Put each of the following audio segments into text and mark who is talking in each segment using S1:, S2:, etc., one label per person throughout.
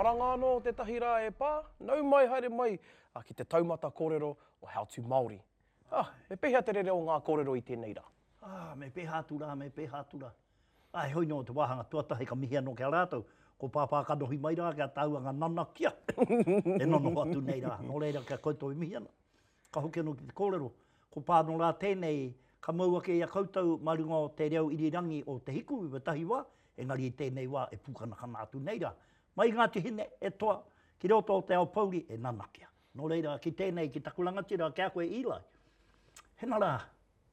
S1: Maranga anō tētahi rā e pā, nau mai haere mai ki te taumata kōrero o How to Māori. Ah, me pēhea te rere o ngā kōrero i tēnei rā?
S2: Ah, me pēhea atu rā, me pēhea atu rā. Ah, heoi nō te wāhanga tuatahi ka mihi anō ki a rātou, ko Pāpā kanohi mai rā kia tāua ngā nanakia e nonoho atu nei rā. Nō reira, kia koutou e mihi ana. Ka hoki anō ki te kōrero, ko Pāno rā tēnei, ka mau ake i a koutou mā runga o te reo irirangi o Te Hiku i wētahi wā, engari i tēnei wā e pūkanakana atu nei rā. Mai i Ngāti Hine, e toa, ki roto o te ao pouri e nanakia. Nō reira, ki tēnei, ki taku rangatira, ki a koe Eli, hena rā,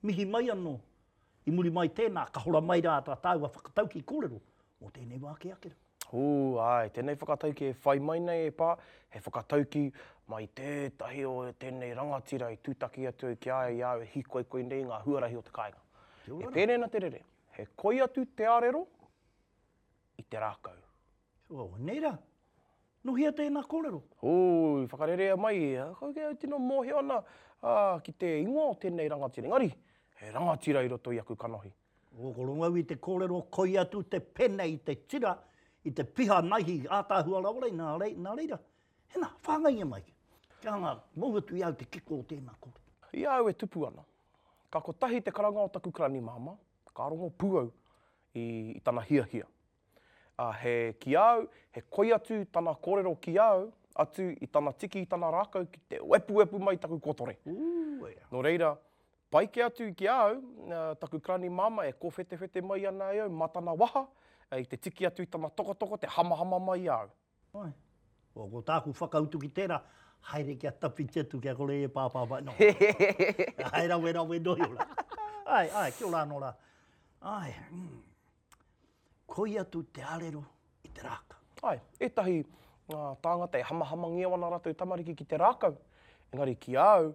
S2: mihi mai anō, i muri mai tēnā, ka hora mai rā tā tāua whakataukī kōrero mō tēnei wā kē ake rā.
S1: Ū, āe, tēnei whakatauki e whai mai nei e pā, he whakatauki mai tētahi o tēnei rangatira i tūtaki atu au ki a ia i a au e hīkoikoi nei i ngā huarahi o te kāinga. E pēnei ana te rere, he koi atu te arero i te rākau.
S2: Oh, nei rā. Nō hea tēnā kōrero?
S1: Ū, i whakarerea mai, kau kei au tino mōhio ana ki te ingoa o tēnei rangatira, engari, he rangatira i roto i aku kanohi.
S2: Ko rongo au i te kōrero koi atu te pene i te tira, i te piha naihi ātaahua rawa rei, nā rei, nā reira, hena, whāngaia mai. Kia hanga, mou atu i a au te kiko o tēnā kōrero.
S1: I a au e tupu ana, ka kotahi te karanga o taku karani māmā, ka rongo pū au i, i tana hiahia. Ā, he, ki a au, he koi atu tana kōrero ki a au, atu i tana tiki i tana rākau ki te wepuwepu mai i taku kotore.
S2: Ū, ea.
S1: Nō reira, Pai kē atu ki a au, taku karani māmā e kōwhetewhete mai ana e au mā tana waha, i te tiki atu i tana tokotoko, te hamahama mai i a au.
S2: Āe. Ko, ko tāku whakautu ki tērā, haere kia tawhiti atu kia kore e pāpā mai. No. Hae rawe rawe noa iho rā. Āe, āe, kia ora anō rā. Āe, mm. Koi atu te arero i te rākau.
S1: Āe, ētahi tāngata e hamahamangia ana rātou tamariki ki te rākau, engari ki a au,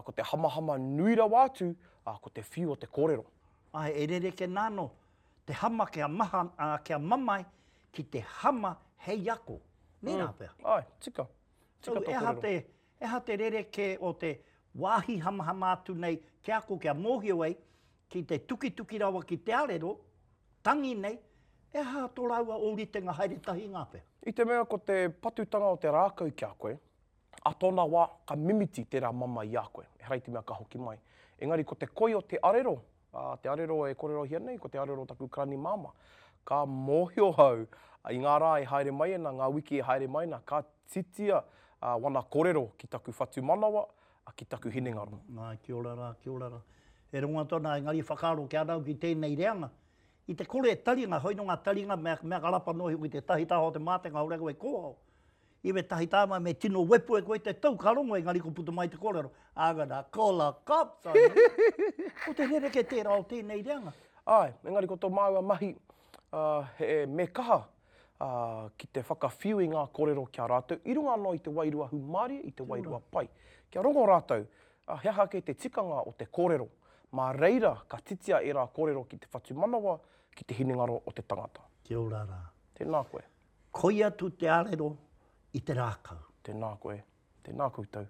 S1: ko te hamahama nui rawa atu, ko te whiu o te kōrero.
S2: Āe, e rerekē nā anō te hama kia maha, kia mamae ki te hama hei ako. Nē rā pea?
S1: Āe, tika. Tika tō
S2: kōrero. So, e aha te rerekē o te wāhi hamahama atu nei kia ako, kia mōhio ai ki te tukituki rawa ki te arero, tangi nei, e aha tō rāua ōritenga haere tahi ngā pea?
S1: I te mea ko te patutanga o te rākau ki a koe, a tōna wā ka mimiti tērā mamae i a koe, ehara i te mea ka hoki mai. Engari ko te koi o te arero, ā, te arero e kōrerohia nei, ko te arero o taku karani māmā, ka mōhio au i ngā rā e haere mai ana, ngā wiki e haere mai ana, ka titia wana kōrero ki taku whatumanawa, ki taku hinengaro.
S2: Nā, kia ora rā, kia ora rā. E rongo atu ana, engari whakaaro ki a au ki tēnei reanga. I te kore e taringa, hoi nō ngā taringa mea, mea ka rapa noa iho ki tētahi taha o te mātenga ore koe kōhao. I wētahi tāma me tino wepu e koe te tou ka rongo engari ko puta mai te kōrero, I'm gonna call a cops on you. Ko te rerekē tērā o tēnei reanga.
S1: Āe, engari ko tō māua mahi, ā, he, me kaha ā, ki te whakawhiu i ngā kōrero ki a rātou, i runga anō i te wairua hūmārie, i te wairua pai. Kia rongo rātou, ā, he aha kē te tikanga o te kōrero. Mā reira ka titia ērā kōrero ki te whatumanawa, ki te hinengaro o te tangata.
S2: Kia ora rā.
S1: Tēnā koe.
S2: Koi atu te arero i te rākau.
S1: Tēnā koe. Tēnā koutou.